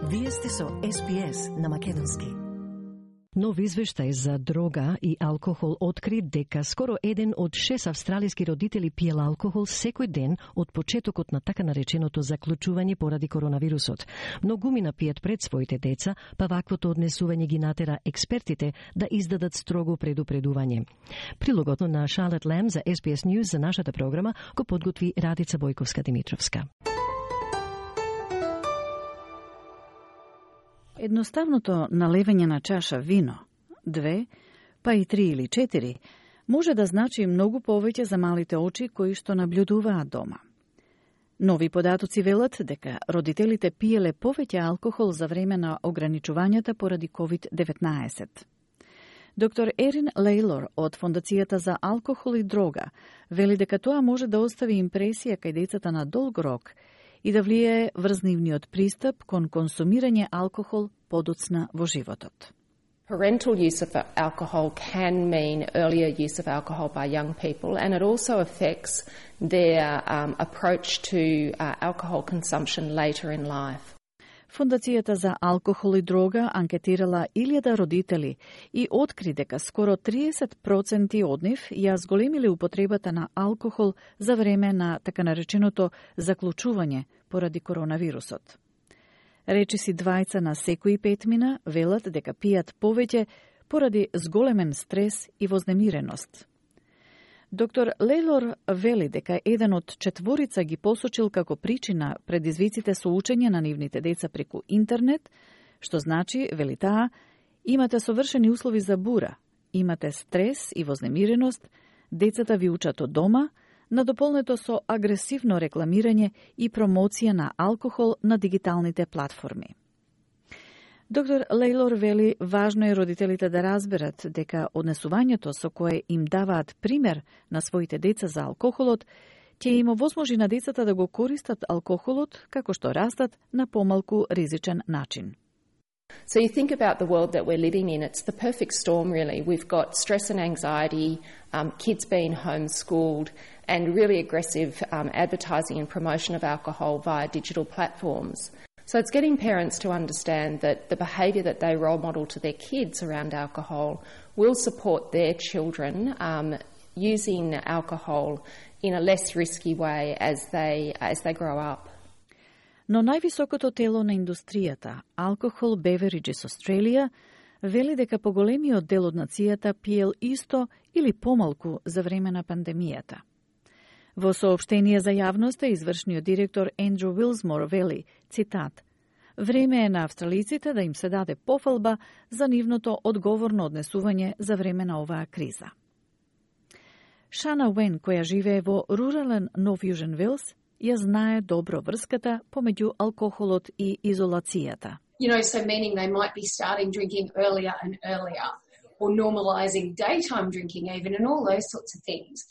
Вие сте со SPS на македонски. Нов извештај за дрога и алкохол откри дека скоро 1 од 6 австралиски родители пиел алкохол секој ден од почетокот на така нареченото заклучување поради коронавирусот. Многумина пиет пред своите деца, па ваквото однесување ги натера експертите да издадат строго предупредување. Прилогот на Charlotte Lamb за SBS News за нашата програма го подготви Радица Бојковска-Димитровска. Едноставното налевање на чаша вино, 2, па и 3 или 4, може да значи многу повеќе за малите очи кои што наблюдуваат дома. Нови податоци велат дека родителите пиеле повеќе алкохол за време на ограничувањата поради COVID-19. Доктор Ерин Лейлор од Фондацијата за алкохол и дрога вели дека тоа може да остави импресија кај децата на долг рок и да влијае врз нивниот пристап кон консумирање алкохол подоцна во животот. Parental use of alcohol can mean earlier use of alcohol by young people, and it also affects their approach to alcohol consumption later in life. Фондацијата за алкохол и дрога анкетирала 1000 родители и откри дека скоро 30% од нив ја зголемиле употребата на алкохол за време на така нареченото заклучување поради коронавирусот. Речиси 2 на секои 5 мина велат дека пијат повеќе поради зголемен стрес и вознемиреност. Доктор Лейлор вели дека 1 од 4 ги посочил како причина предизвиците со учење на нивните деца преку интернет, што значи, вели таа, имате совршени услови за бура, имате стрес и вознемиреност, децата ви учат од дома, надополнето со агресивно рекламирање и промоција на алкохол на дигиталните платформи. Доктор Лейлор вели важно е родителите да разберат дека однесувањето со кое им даваат пример на своите деца за алкохолот ќе им овозможи на децата да го користат алкохолот како што растат на помалку ризичен начин. So you think about the world that we're living in, it's the perfect storm really. We've got stress and anxiety, kids being homeschooled, and really aggressive advertising and promotion of alcohol via digital platforms. So it's getting parents to understand that the behaviour that they role model to their kids around alcohol will support their children using alcohol in a less risky way as they grow up. Но највисокото тело на индустријата, Alcohol Beverages Australia, вели дека поголемиот дел од нацијата пиел исто или помалку за време на пандемијата. Во соопштение за јавноста, извршниот директор Ендрю Вилсмор вели, цитат, "Време е на австралиците да им се даде пофалба за нивното одговорно однесување за време на оваа криза." Шана Уен, која живее во рурален Нов Јужен Велс, ја знае добро врската помеѓу алкохолот и изолацијата. So meaning they might be starting drinking earlier and earlier, or normalising daytime drinking even, and all those sorts of things.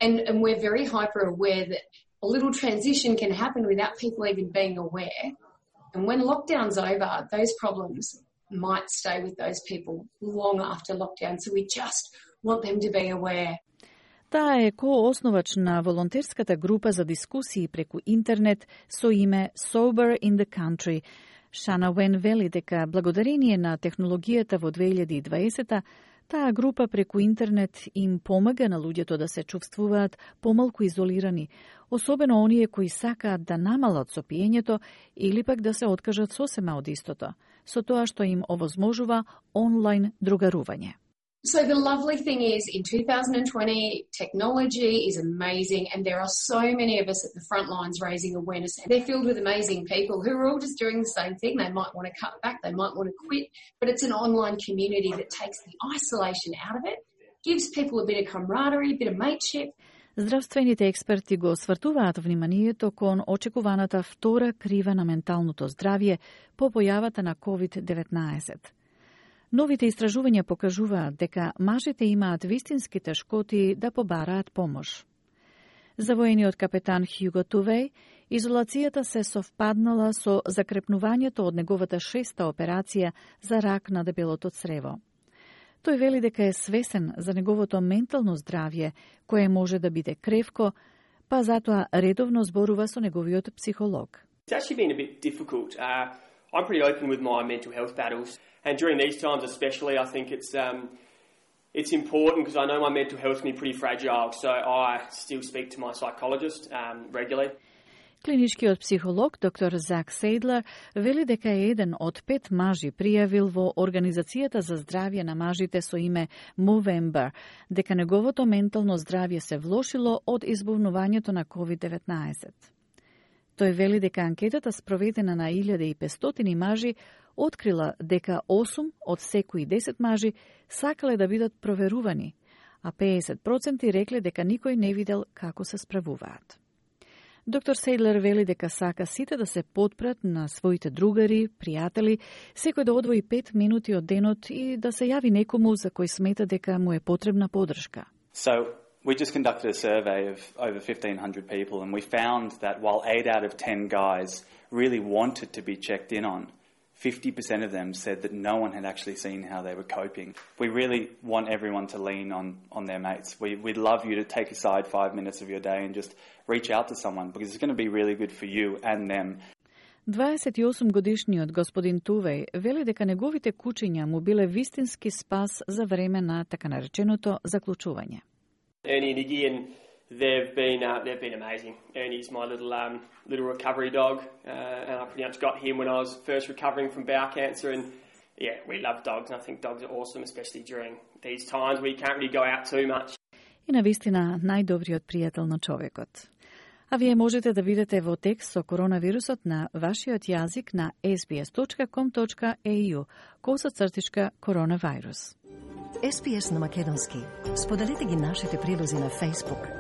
And we're very hyper aware that a little transition can happen without people even being aware. And when lockdown's over, those problems might stay with those people long after lockdown. So we just want them to be aware. Таа е коосновач на волонтерската група за дискусии преку интернет со име Sober in the Country. Шана Уен вели дека благодарение на технологијата во 2020 таа група преку интернет им помага на луѓето да се чувствуваат помалку изолирани, особено оние кои сакаат да намалат со пиењето или пак да се откажат сосема од истото, со тоа што им овозможува онлайн другарување. So the lovely thing is, in 2020, technology is amazing, and there are so many of us at the front lines raising awareness. They're filled with amazing people who are all just doing the same thing. They might want to cut back, they might want to quit, but it's an online community that takes the isolation out of it, gives people a bit of camaraderie, a bit of mateship. Здравствените експерти го свртуваат вниманието кон очекуваната втора крива на менталното здравје по појавата на COVID-19. Новите истражувања покажуваат дека мажите имаат вистински тешкоти да побараат помош. За воениот капетан Хјуго Тувеј, изолацијата се совпаднала со закрепнувањето од неговата 6-та операција за рак на дебелото црево. Тој вели дека е свесен за неговото ментално здравје, кое може да биде кревко, па затоа редовно зборува со неговиот психолог. It's actually been a bit difficult. I'm pretty open with my mental health battles, and during these times especially, I think it's important because I know my mental health can be pretty fragile, so I still speak to my psychologist regularly. Клиничкиот психолог доктор Зак Сейдлер вели дека е еден од 5 мажи пријавил во Организацијата за здравје на мажите со име Movember дека неговото ментално здравје се влошило од избувнувањето на COVID-19. Тој вели дека анкетата спроведена на 1500 мажи открила дека 8 од секои 10 мажи сакале да бидат проверувани, а 50% рекле дека никој не видел како се справуваат. Доктор Сейдлер вели дека сака сите да се потпрат на своите другари, пријатели, секој да одвои 5 минути од денот и да се јави некому за кој смета дека му е потребна поддршка. So, we just conducted a survey of over 1,500 people and we found that while 8 out of 10 guys really wanted to be checked in on, 50% of them said that no one had actually seen how they were coping. We really want everyone to lean on their mates. We'd love you to take aside 5 minutes of your day and just reach out to someone because it's going to be really good for you and them. 28-годишниот господин Тувеј вели дека неговите кучиња му биле вистински спас за време на така нареченото заклучување. Ernie and Iggy, and they've been amazing. Ernie's my little recovery dog, and I pretty much got him when I was first recovering from bowel cancer. And yeah, we love dogs, and I think dogs are awesome, especially during these times where you can't really go out too much. И навистина најдобриот пријател на човекот. А вие можете да видите во текст со коронавирусот на вашиот јазик на sbs.com.au/коронавирус. SBS на македонски. Споделете ги нашите прилози на Facebook,